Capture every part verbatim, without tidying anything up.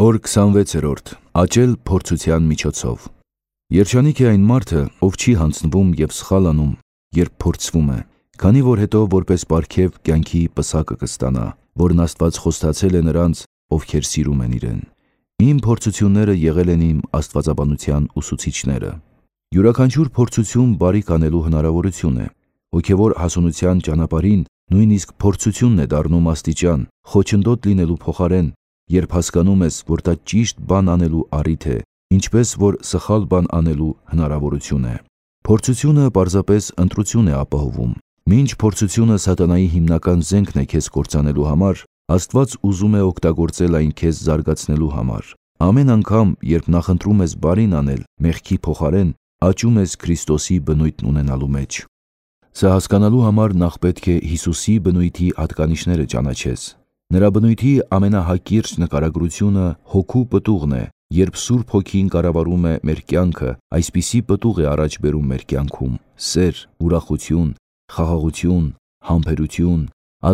Հոր քսանվեցերորդ Աճել փորձության միջոցով։ Երջանիկ է այն մարդը, ով չի հանձնվում և սխալ անում, երբ փորձվում է, քանի որ հետո որպես պարգև կյանքի պսակը կստանա, որն Աստված խոստացել է նրանց, ովքեր սիրում են իրեն։ Իմ փորձությունները եղել են իմ աստվածաբանության ուսուցիչները։ Յուրաքանչյուր փորձություն բարիք անելու հնարավորություն է։ Հոգևոր հասունության ճանապարհին նույնիսկ փորձությունն է դառնում աստիճան, խոչընդոտ լինելու փոխարեն, երբ հասկանում ես, որ դա ճիշտ բան անելու առիթ է, ինչպես որ սխալ բան անելու հնարավորություն է։ Փորձությունը պարզապես ընտրություն է ապահովում։ Մինչ փորձությունը սատանայի հիմնական զենքն է քեզ կործանելու համար, Աստված ուզում է օգտագործել այն քեզ զարգացնելու համար։ Ամեն անգամ, երբ նախընտրում ես բարին անել մեղքի փոխարեն, աճում ես Քրիստոսի բնույթն ունենալու մեջ։ Սա հասկանալու համար նախ պետք է Հիսուսի բնույթի հատկանիշները ճանաչես։ Նրա բնույթի ամենահակիրճ նկարագրությունը հոգու պտուղն է, երբ Սուրբ Հոգին կառավարում է մեր կյանքը, այսպիսի պտուղ է առաջ բերում մեր կյանքում՝ սեր, ուրախություն, խաղաղություն, համբերություն,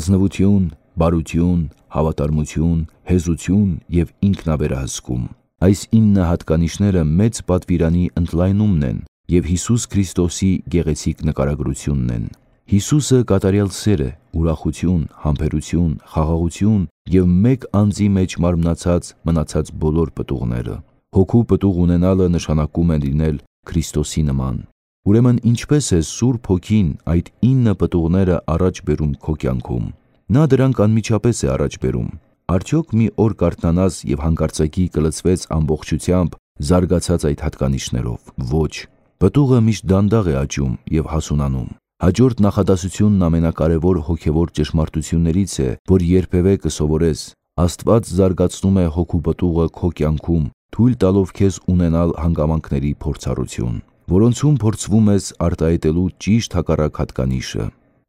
ազնվություն, բարություն, հավատարմություն, հեզություն և ինքնավերահսկում։ Այս ինը հատկանիշները մեծ պատվիրանի ընդլայնումն են և Հիսուս Քրիստոսի գեղեցիկ նկարագրությունն են։ Հիսուսը կատարյալ սեր է, ուրախություն, համբերություն, խաղաղություն և մեկ անձի մեջ մարմնացած մնացած բոլոր պտուղները։ Հոգու պտուղ ունենալը նշանակում է լինել Քրիստոսի նման։ Ուրեմն ինչպե՞ս է Սուրբ Հոգին այդ ինը պտուղները առաջ բերում քո կյանքում։ Նա դրանք անմիջապես է առաջ բերում։ Արդյոք մի օր կարթնանաս և հանկարծակի կլցվեց ամբողջությամբ զարգացած այդ հատկանիշներով։ Ոչ։ Պտուղը միշտ դանդաղ է աճում և հասունանում։ Հաջորդ նախադասությունն ամենակարևոր հոգևոր ճշմարտություններից է, որ երբևէ կսովորես։ Աստված զարգացնում է հոգու պտուղը քո կյանքում, թույլ տալով քեզ ունենալ հանգամանքների փորձառություն, որոնցում փորձվում ես արտահայտելու ճիշտ հակառակ հատկանիշը։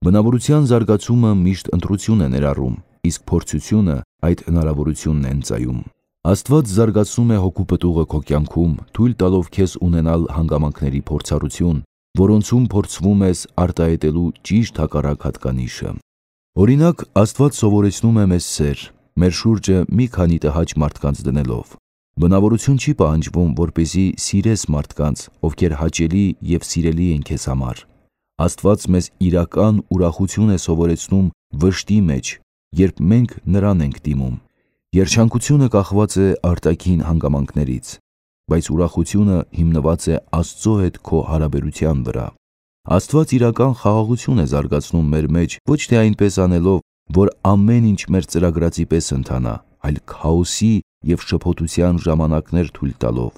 Բնավորության զարգացումը միշտ ընտրություն է ներառում, իսկ փորձությունը այդ հնարավորությունն է ընծայում։ Աստված զարգացնում է հոգու պտուղը քո կյանքում, թույլ տալով քեզ ունենալ հանգամանքների փորձառություն, որոնցում փորձվում ես արտահայտելու ճիշտ հակառակ հատկանիշը։ Օրինակ, Աստված սովորեցնում է մեզ սեր, մեր շուրջը մի քանի տհաճ մարդկանց դնելով։ Բնավորություն չի պահանջվում, որպեսզի սիրես մարդկանց, ովքեր հաճելի և սիրելի են քեզ համար։ Աստված մեզ իրական ուրախություն է սովորեցնում վշտի մեջ, երբ մենք նրան ենք դիմում։ Երջանկությունը կախված է արտաքին հանգամանքներից, բայց ուրախությունը հիմնված է Աստծո հետ քո հարաբերության վրա։ Աստված իրական խաղաղություն է զարգացնում մեր մեջ ոչ թե այնպես անելով, որ ամեն ինչ մեր ծրագրածի պես ընթանա, այլ քաոսի և շփոթության ժամանակներ թույլ տալով։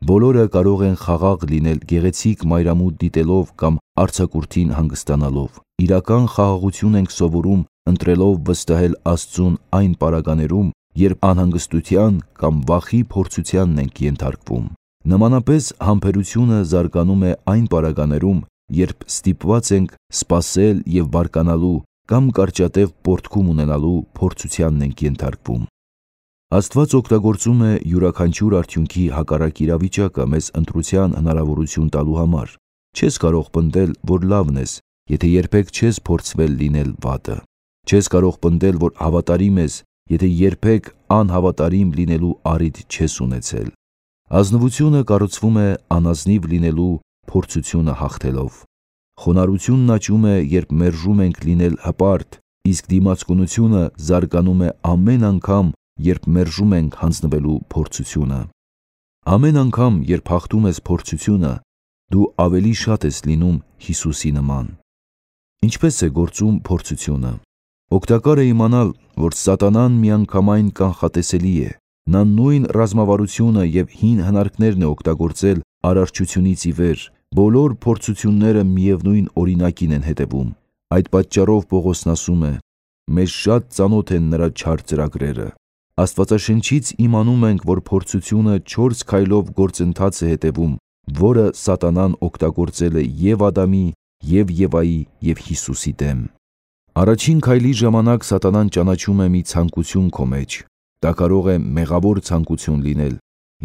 Բոլորը կարող են խաղաղ լինել գեղեցիկ մայրամուտ դիտելով կամ արձակուրդին հանգստանալով։ Իրական խաղաղություն ենք սովորում ընտրելով վստահել Աստծուն այն պարագաներում, երբ անհանգստության կամ վախի փորձությանն ենք ենթարկվում։ Նմանապես համբերությունը զարգանում է այն պարագաներում, երբ ստիպված ենք սպասել և բարկանալու կամ կարճատև պոռթկում ունենալու փորձությանն ենք ենթարկվում։ Աստված օգտագործում է յուրաքանչյուր արդյունքի հակառակ իրավիճակը մեզ ընտրության հնարավորություն տալու համար։ Չես կարող պնդել, որ լավն ես, եթե երբեք չես փորձվել լինել վատը։ Չես կարող պնդել, որ հավատարիմ ես, եթե երբեք անհավատարիմ լինելու առիթ չես ունեցել։ Ազնվությունը կառուցվում է անազնիվ լինելու փորձությունը հաղթելով։ Խոնարհությունն աճում է, երբ մերժում ենք լինել հպարտ, իսկ դիմացկունությունը զարգանում է ամեն անգամ, երբ մերժում ենք հանձնվելու փորձությունը։ Ամեն անգամ, երբ հաղթում ես փորձությունը, դու ավելի շատ ես լինում Հիսուսի նման։ Ինչպե՞ս է գործում փորձությունը։ Օգտակար է իմանալ, որ սատանան միանգամայն կանխատեսելի է։ Նա նույն ռազմավարությունը և հին հնարքներն է օգտագործել արարչությունից ի վեր։ Բոլոր փորձությունները միևնույն օրինակին են հետևում։ Այդ պատճառով Պողոսն ասում է. «Մեզ շատ ծանոթ են նրա չար ծրագրերը»։ Աստվածաշնչից իմանում ենք, որ փորձությունը չորս քայլով գործընթաց է հետևում, որը սատանան օգտագործել է և Ադամի, և Եվայի, և Հիսուսի դեմ։ Առաջին քայլի ժամանակ սատանան ճանաչում է մի ցանկություն քո մեջ։ Դա կարող է մեղավոր ցանկություն լինել,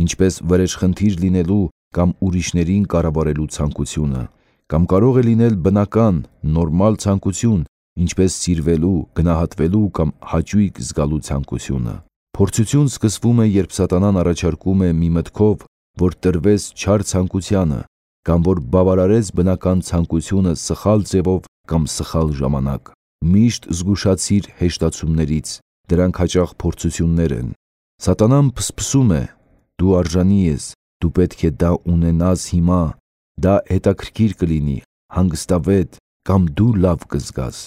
ինչպես վրեժխնդիր լինելու կամ ուրիշներին կառավարելու ցանկությունը, կամ կարող է լինել բնական, նորմալ ցանկություն, ինչպես սիրվելու, գնահատվելու կամ հաճույք զգալու ցանկությունը։ Փորձություն սկսվում է, երբ Սատանան առաջարկում է մի մտքով, որ տրվես չար ցանկությանը, կամ որ բավարարես բնական ցանկությունը սխալ ձևով կամ սխալ ժամանակ։ Միշտ զգուշացիր հեշտացումներից, դրանք հաճախ փորձություններ են։ Սատանան փսփսում է. դու արժանի ես, դու պետք է դա ունենաս հիմա, դա հետաքրքիր կլինի, հանգստավետ, կամ դու լավ կզգաս։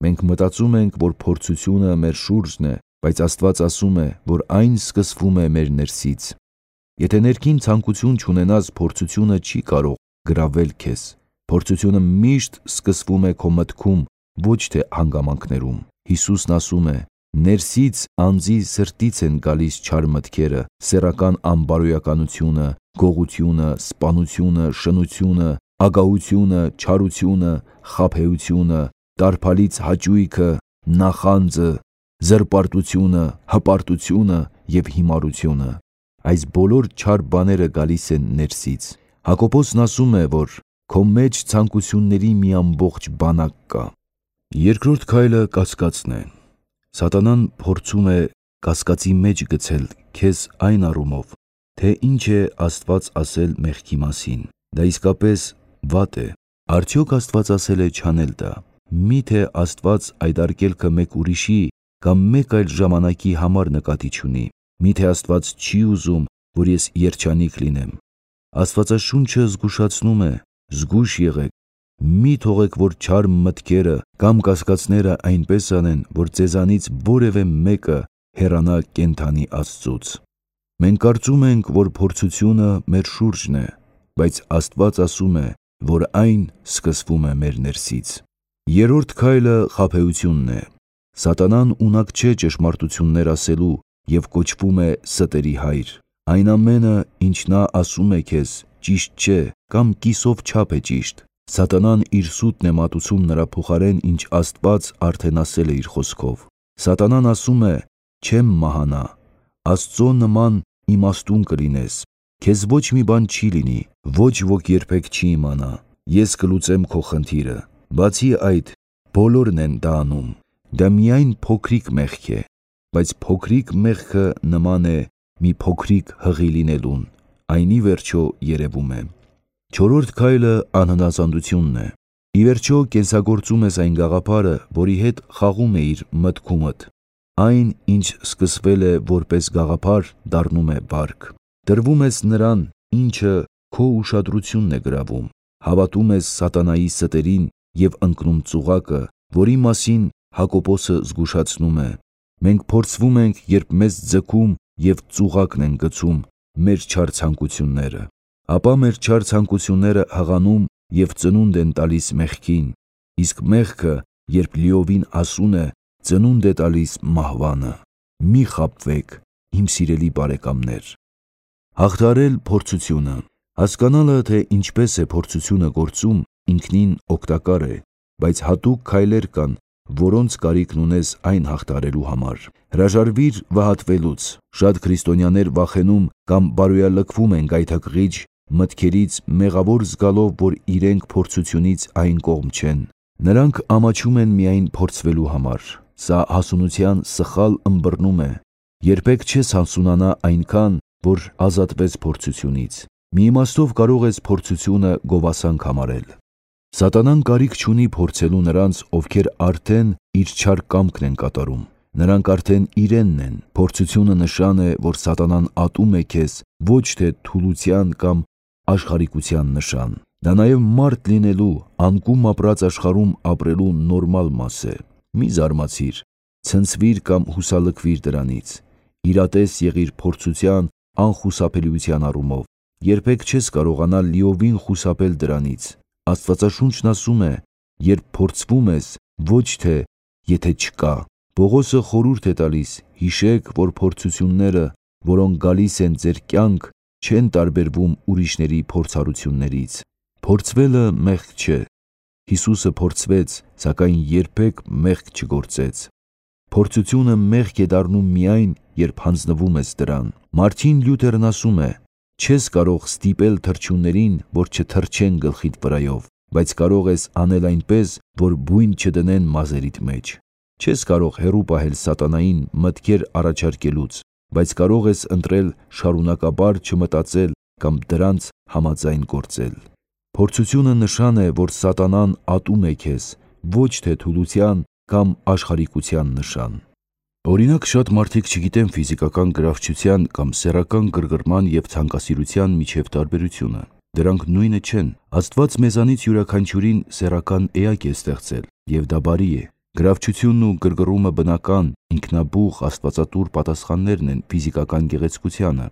Մենք մտածում ենք, որ փորձությունը մեր շուրջն է, բայց Աստված ասում է, որ այն սկսվում է մեր ներսից։ Եթե ներքին ցանկություն չունենաս, փորձությունը չի կարող գրավել քեզ։ Փորձությունը միշտ սկսվում է քո մտքում, ոչ թե հանգամանքներում։ Հիսուսն ասում է. ներսից անձի սրտից են գալիս չար մտքերը, սեռական անբարոյականությունը, գողությունը, սպանությունը, շնությունը, ագահությունը, չարությունը, խաբեությունը, տարփալից հաճույքը, նախանձը, զրպարտությունը, հպարտությունը և հիմարությունը։ Այս բոլոր չար բաները գալիս են ներսից։ Հակոբոսն ասում է, որ քո մեջ ցանկությունների մի ամբողջ բանակ կա։ Երկրորդ քայլը կասկածն է։ Սատանան փորձում է կասկածի մեջ գցել քեզ այն առումով, թե ինչ է Աստված ասել մեղքի մասին։ Դա իսկապես վատ է։ Արդյոք Աստված ասել է չանել դա։ Միթե Աստված այդ արգելքը մեկ ուրիշի կամ մեկ այլ ժամանակի համար նկատի չունի։ Միթե Աստված չի ուզում, որ ես երջանիկ լինեմ։ Աստվածաշունչը զգուշացնում է. զգույշ եղեք, մի թողեք, որ չար մտքերը կամ կասկածները այնպես անեն, որ ձեզանից որևէ մեկը հեռանա կենդանի Աստծուց։ Մենք կարծում ենք, որ փորձությունը մեր շուրջն է, բայց Աստված ասում է, որ այն սկսվում է մեր ներսից։ Երրորդ քայլը խաբեությունն է։ Սատանան ունակ չէ ճշմարտություններ ասելու և կոչվում է ստերի հայր։ Այն ամենը, ինչ նա ասում է քեզ, ճիշտ չէ կամ կիսով չափ է ճիշտ։ Սատանան իր սուտն է մատուցում նրա փոխարեն, ինչ Աստված արդեն ասել է իր խոսքով։ Սատանան ասում է. չեմ մահանա, Աստծո նման իմաստուն կլինես, քեզ ոչ մի բան չի լինի, ոչ ոք երբեք չի իմանա, ես կլուծեմ քո խնդիրը։ Բացի այդ, բոլորն են դա անում։ Դա միայն փոքրիկ մեղք է, բայց փոքրիկ մեղքը նման է մի փոքրիկ հղի լինելուն, այն ի վերջո երևում է։ Չորրորդ քայլը անհնազանդությունն է։ Ի վերջո կենսագործում ես այն գաղափարը, որի հետ խաղում էիր մտքումդ։ Այն, ինչ սկսվել է որպես գաղափար, դառնում է վարք։ Տրվում ես նրան, ինչը քո ուշադրությունն է գրավում։ Հավատում ես սատանայի ստերին և ընկնում ծուղակը, որի մասին Հակոբոսը զգուշացնում է. մենք փորձվում ենք, երբ մեզ ձգում և ծուղակն են գցում մեր չար ցանկությունները։ Ապա մեր չար ցանկությունները հղանում և ծնունդ են տալիս մեղքին, իսկ մեղքը, երբ լիովին ասուն է, ծնունդ է տալիս մահվանը։ Մի խաբվեք, իմ սիրելի բարեկամներ։ Հաղթահարել փորձությունը։ Հասկանալը, թե ինչպես է փորձությունը գործում, ինքնին օգտակար է, բայց հատուկ քայլեր կան, որոնց կարիքն ունես այն հաղթահարելու համար։ Հրաժարվիր վհատվելուց։ Շատ քրիստոնյաներ վախենում կամ բարոյալքվում են գայթակղիչ մտքերից, մեղավոր զգալով, որ իրենք փորձությունից այն կողմ չեն։ Նրանք ամաչում են միայն փորձվելու համար։ Սա հասունության սխալ ըմբռնում է։ Երբեք չես հասունանա այնքան, որ ազատվես փորձությունից։ Մի իմաստով կարող ես փորձությունը գովասանք համարել։ Սատանան կարիք չունի փորձելու նրանց, ովքեր արդեն իր չար կամքն են կատարում։ Նրանք արդեն իրենն են։ Փորձությունը նշան է, որ Սատանան ատում է քեզ, ոչ թե թուլության կամ աշխարհիկության նշան։ Դա նաև մարդ լինելու, անկում ապրած աշխարհում ապրելու նորմալ մաս է։ Մի զարմացիր, ցնցվիր կամ հուսալքվիր դրանից։ Իրատես եղիր փորձության անխուսափելիության առումով։ Երբեք չես կարողանա լիովին խուսափել դրանից։ Աստվածաշունչն ասում է. երբ փորձվում ես, ոչ թե եթե չկա։ Պողոսը խորհուրդ է տալիս. հիշեք, որ փորձությունները, որոնք գալիս են ձեր կյանք, չեն տարբերվում ուրիշների փորձառություններից։ Փորձվելը մեղք չէ։ Հիսուսը փորձվեց, սակայն երբեք մեղք չգործեց։ Փորձությունը մեղք է դառնում միայն, երբ հանձնվում ես դրան։ Մարտին Լյութերն ասում է. չես կարող ստիպել թռչուններին, որ չթռչեն գլխիդ վրայով, բայց կարող ես անել այնպես, որ բույն չդնեն մազերիդ մեջ։ Չես կարող հեռու պահել սատանային մտքեր առաջարկելուց, բայց կարող ես ընտրել շարունակաբար չմտածել կամ դրանց համաձայն գործել։ Փորձությունը նշան է, որ սատանան ատում է քեզ, ոչ թե թուլության կամ աշխարհիկության նշան։ Օրինակ, շատ մարդիկ չգիտեն ֆիզիկական գրավչության կամ սեռական գրգռման և ցանկասիրության միջև տարբերությունը։ Դրանք նույնը չեն։ Աստված մեզանից յուրաքանչյուրին սեռական էակ է ստեղծել, և դա բարի է։ Գրավչությունն ու գրգռումը բնական, ինքնաբուխ, աստվածատուր պատասխաններն են ֆիզիկական գեղեցկությանը,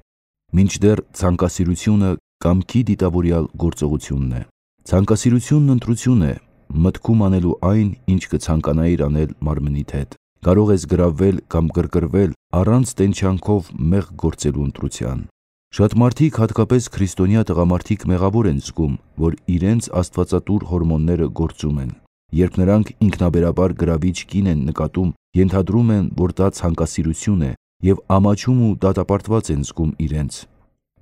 մինչդեռ ցանկասիրությունը կամքի դիտավորյալ գործողությունն է։ Ցանկասիրությունն ընտրություն է, մտքում անելու այն, ինչ կցանկանայիր անել մարմնիդ հետ։ Կարող ես գրավվել կամ գրգռվել առանց տենչանքով մեղք գործելու ընտրության։ Շատ մարդիկ, հատկապես քրիստոնյա տղամարդիկ, մեղավոր են զգում, որ իրենց աստվածատուր հորմոնները գործում են։ Երբ նրանք ինքնաբերաբար գրավիչ կին են նկատում, ենթադրում են, որ դա ցանկասիրություն է և ամաչում ու դատապարտված են զգում իրենց։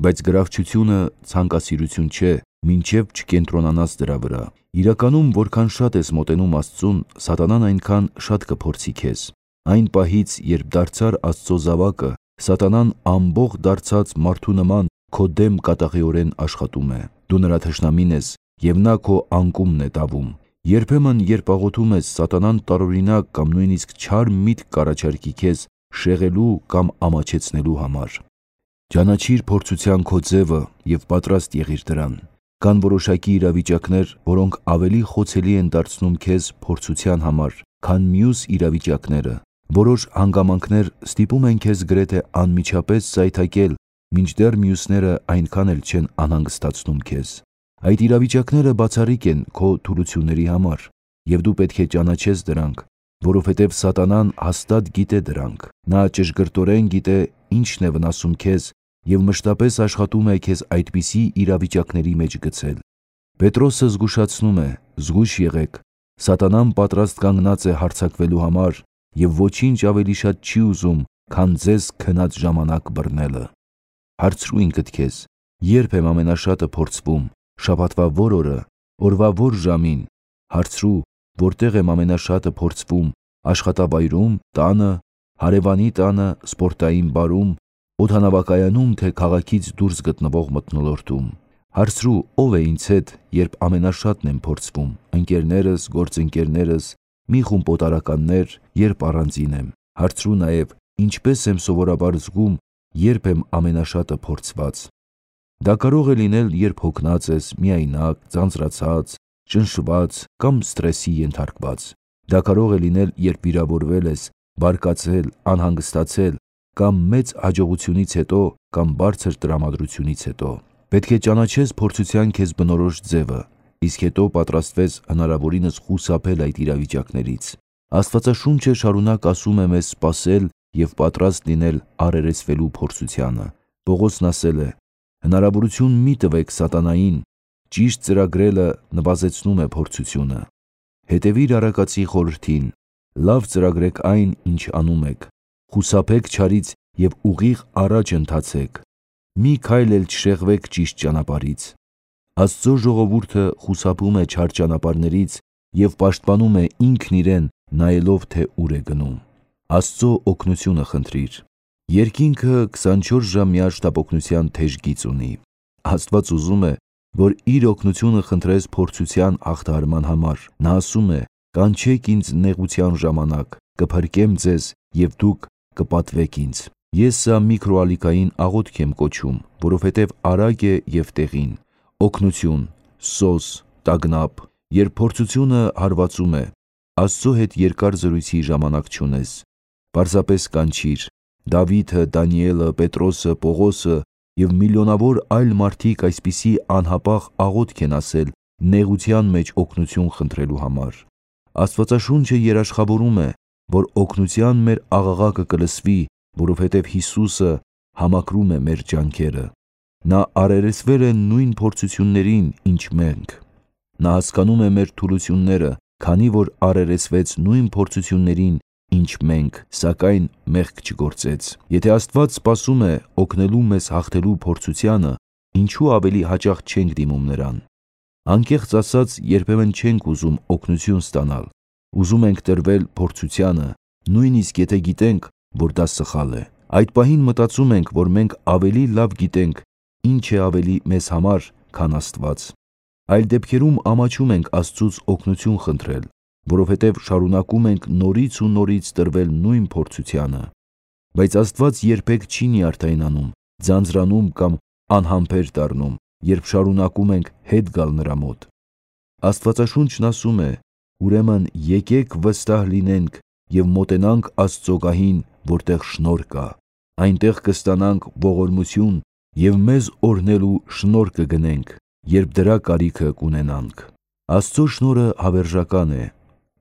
Բայց գրավչությունը ցանկասիրություն չէ, մինչև չկենտրոնանաս դրա վրա։ Իրականում, որքան շատ ես մոտենում Աստծուն, սատանան այնքան շատ կփորձի քեզ։ Այն պահից, երբ դարձար Աստծո զավակը, սատանան ամբողջ դարձած մարդու նման քո դեմ կատաղիորեն աշխատում է։ Դու նրա թշնամին ես, և նա քո անկումն է տավում։ Երբեմն, երբ աղոթում ես, սատանան տարօրինակ կամ նույնիսկ չար միտք կառաջարկի քեզ շեղելու կամ ամաչեցնելու համար։ Ճանաչիր փորձության քո ձևը և պատրաստ եղիր դրան։ Կան որոշակի իրավիճակներ, որոնք ավելի խոցելի են դարձնում քեզ փորձության համար, քան մյուս իրավիճակները։ Որոշ հանգամանքներ ստիպում են քեզ գրեթե անմիջապես զայթակել, մինչդեռ մյուսները այնքան էլ չեն անհանգստացնում քեզ։ Այդ իրավիճակները բացառիկ են քո թուլությունների համար, և դու պետք է ճանաչես դրանք, որովհետև սատանան հաստատ գիտե դրանք։ Նա ճշգրտորեն գիտե ինչն է վնասում քեզ և մշտապես աշխատում է քեզ այդպիսի իրավիճակների մեջ գցել։ Պետրոսը զգուշացնում է. «Զգույշ եղեք, սատանան պատրաստ կանգնած է հարձակվելու համար և ոչինչ ավելի շատ չի ուզում, քան ձեզ քնած ժամանակ բռնելը»։ Հարցրու ինքդ քեզ. երբ եմ ամենաշատը փորձվում, շաբաթվա ո՞ր օրը, օրվա ո՞ր ժամին։ Հարցրու, որտեղ եմ ամենաշատը փորձվում, աշխատավայրում, տանը, հարևանի տանը, սպորտային բարում, օդանավակայանում, թե քաղաքից դուրս գտնվող մթնոլորտում։ Հարցրու, ով է ինձ հետ, երբ ամենաշատն եմ փորձվում, ընկերներս, գործընկերներս, մի խումբ օտարականներ, երբ առանձին եմ։ Հարցրու նաև, ինչպես եմ սովորաբար զգում, երբ եմ ամենաշատը փորձված։ Դա կարող է լինել, երբ հոգնած ես, միայնակ, ձանձրացած, ճնշված կամ սթրեսի ենթարկված։ Դա կարող է լինել, երբ վիրավորվել ես, բարկացել, անհանգստացել կամ մեծ հաջողությունից հետո կամ բարձր տրամադրությունից հետո։ Պետք է ճանաչես փորձության քեզ բնորոշ ձևը, իսկ հետո պատրաստվես հնարավորինս խուսափել այդ իրավիճակներից։ Աստվածաշունչը շարունակ ասում է մեզ սպասել և պատրաստ լինել առերեսվելու փորձությանը։ Պողոսն ասել է. «Հնարավորություն մի տվեք սատանային, ճիշտ ծրագրելը նվազեցնում է փորձությունը։ Հետևիր առակացի խորհրդին, լավ ծրագրեք այն, ինչ անում եք, խուսափեք չարից և ուղիղ առաջ ընթացեք, մի քայլ էլ չշեղվեք ճիշտ ճանապարհից»։ Աստծո ժողովուրդը խուսափում է չար ճանապարհներից և պաշտպանում է ինքն իրեն, նայելով, թե ուր է գնում։ Աստծո օգնությունը խնդրիր։ Երկինքը քսանչորս ժամ միաժամանակ թեժ գիծ ունի։ Աստված ուզում է, որ իր օգնությունը խնդրես փորձության հաղթահարման համար։ Նա ասում է. «Կանչեք ինձ նեղության ժամանակ, կփրկեմ ձեզ և դուք կպատվեք ինձ»։ Ես սա միկրոալիքային աղոթք եմ կոչում, որովհետև արագ է և տեղին։ Օգնություն, սոս, տագնապ, երբ փորձությունը հարվածում է, Աստծո հետ երկար զրույցի ժամանակ չունես։ Պարզապես կանչիր։ Դավիթը, Դանիելը, Պետրոսը, Պողոսը և միլիոնավոր այլ մարդիկ այսպիսի անհապաղ աղոթք են ասել նեղության մեջ օգնություն խնդրելու համար։ Աստվածաշունչը երաշխավորում է, որ օգնության մեր աղաղակը կլսվի, որովհետև Հիսուսը համակրում է մեր ջանքերը։ Նա առերեսվել է նույն փորձություններին, ինչ մենք։ Նա հասկանում է մեր թուլությունները, քանի որ առերեսվեց նույն փորձություններին, ինչ մենք, սակայն մեղք չգործեց։ Եթե Աստված սպասում է օգնելու մեզ հաղթելու փորձությանը, ինչու ավելի հաճախ չենք դիմում նրան։ Անկեղծ ասած, երբեմն չենք ուզում օգնություն ստանալ, Ուզում ենք տրվել փորձությանը, նույնիսկ եթե գիտենք, որ դա սխալ է։ Այդ պահին մտածում ենք, որ մենք ավելի լավ գիտենք, ինչ է ավելի մեզ համար, քան Աստված։ Այլ դեպքերում ամաչում ենք Աստծուց օգնություն խնդրել, որովհետև շարունակում ենք նորից ու նորից տրվել նույն փորձությանը։ Բայց Աստված երբեք չի նյարդայնանում, ձանձրանում կամ անհամբեր դառնում, երբ շարունակում ենք հետ գալ նրա մոտ։ Աստվածաշունչն ասում է. «Ուրեմն եկեք վստահ լինենք և մոտենանք Աստծո գահին, որտեղ շնորհ կա։ Այնտեղ կստանանք ողորմություն և մեզ օրհնելու շնորհ կգնենք, երբ դրա կարիքը կունենանք»։ Աստծո շնորհը հավերժական է,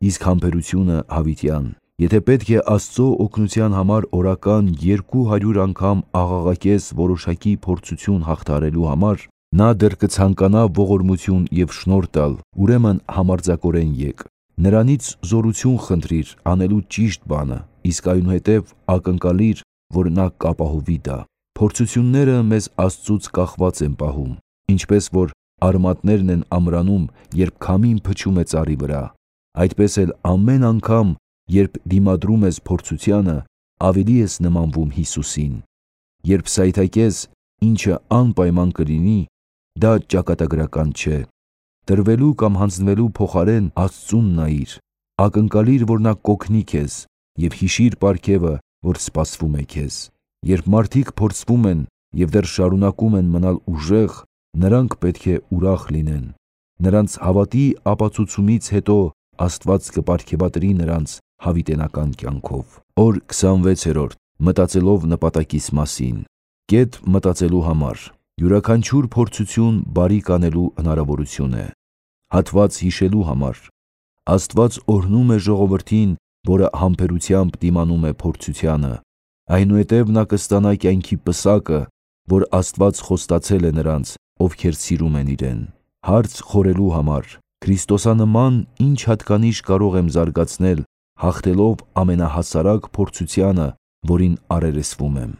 իսկ համբերությունը հավիտյան։ Եթե պետք է Աստծո օգնության համար օրական երկու հարյուր անգամ աղաղակես որոշակի փորձություն հաղթահարելու համար, նա դեռ կցանկանա ողորմություն և շնորհ տալ, ուրեմն համարձակորեն եկ։ Նրանից զորություն խնդրիր անելու ճիշտ բանը, իսկ այնուհետև ակնկալիր, որ նա կապահովի դա։ Փորձությունները մեզ Աստծուց կախված են պահում, ինչպես որ արմատներն են ամրանում, երբ քամին փչում է ծառի վրա, այդպես էլ ամեն անգամ, երբ դիմադրում ես փորձությանը, ավելի ես նմանվում Հիսուսին։ Երբ սայթաքես, ինչը անպայման կլինի, դա ճակատագրական չէ։ Տրվելու կամ հանձնվելու փոխարեն Աստծուն նայիր, ակնկալիր, որ նա կօգնի քեզ, և հիշիր պարգևը, որ սպասվում է քեզ։ Երբ մարդիկ փորձվում են և դեռ շարունակում են մնալ ուժեղ, նրանք պետք է ուրախ լինեն։ Նրանց հավատի ապացուցումից հետո Աստված կպարգևատրի նրանց հավիտենական կյանքով։ Օր քսանվեցերորդ. Մտածելով նպատակիս մասին։ Կետ մտածելու համար։ Յուրաքանչյուր փորձություն բարիք անելու հնարավորություն է։ Հատված հիշելու համար։ Աստված օրհնում է ժողովրդին, որը համբերությամբ դիմանում է փորձությանը։ Այնուհետև նա կստանա կյանքի պսակը, որ Աստված խոստացել է նրանց, ովքեր սիրում են իրեն։ Հարց խորելու համար։ Քրիստոսանման ինչ հատկանիշ կարող եմ զարգացնել, հաղթելով ամենահասարակ փորձությանը, որին առերեսվում եմ։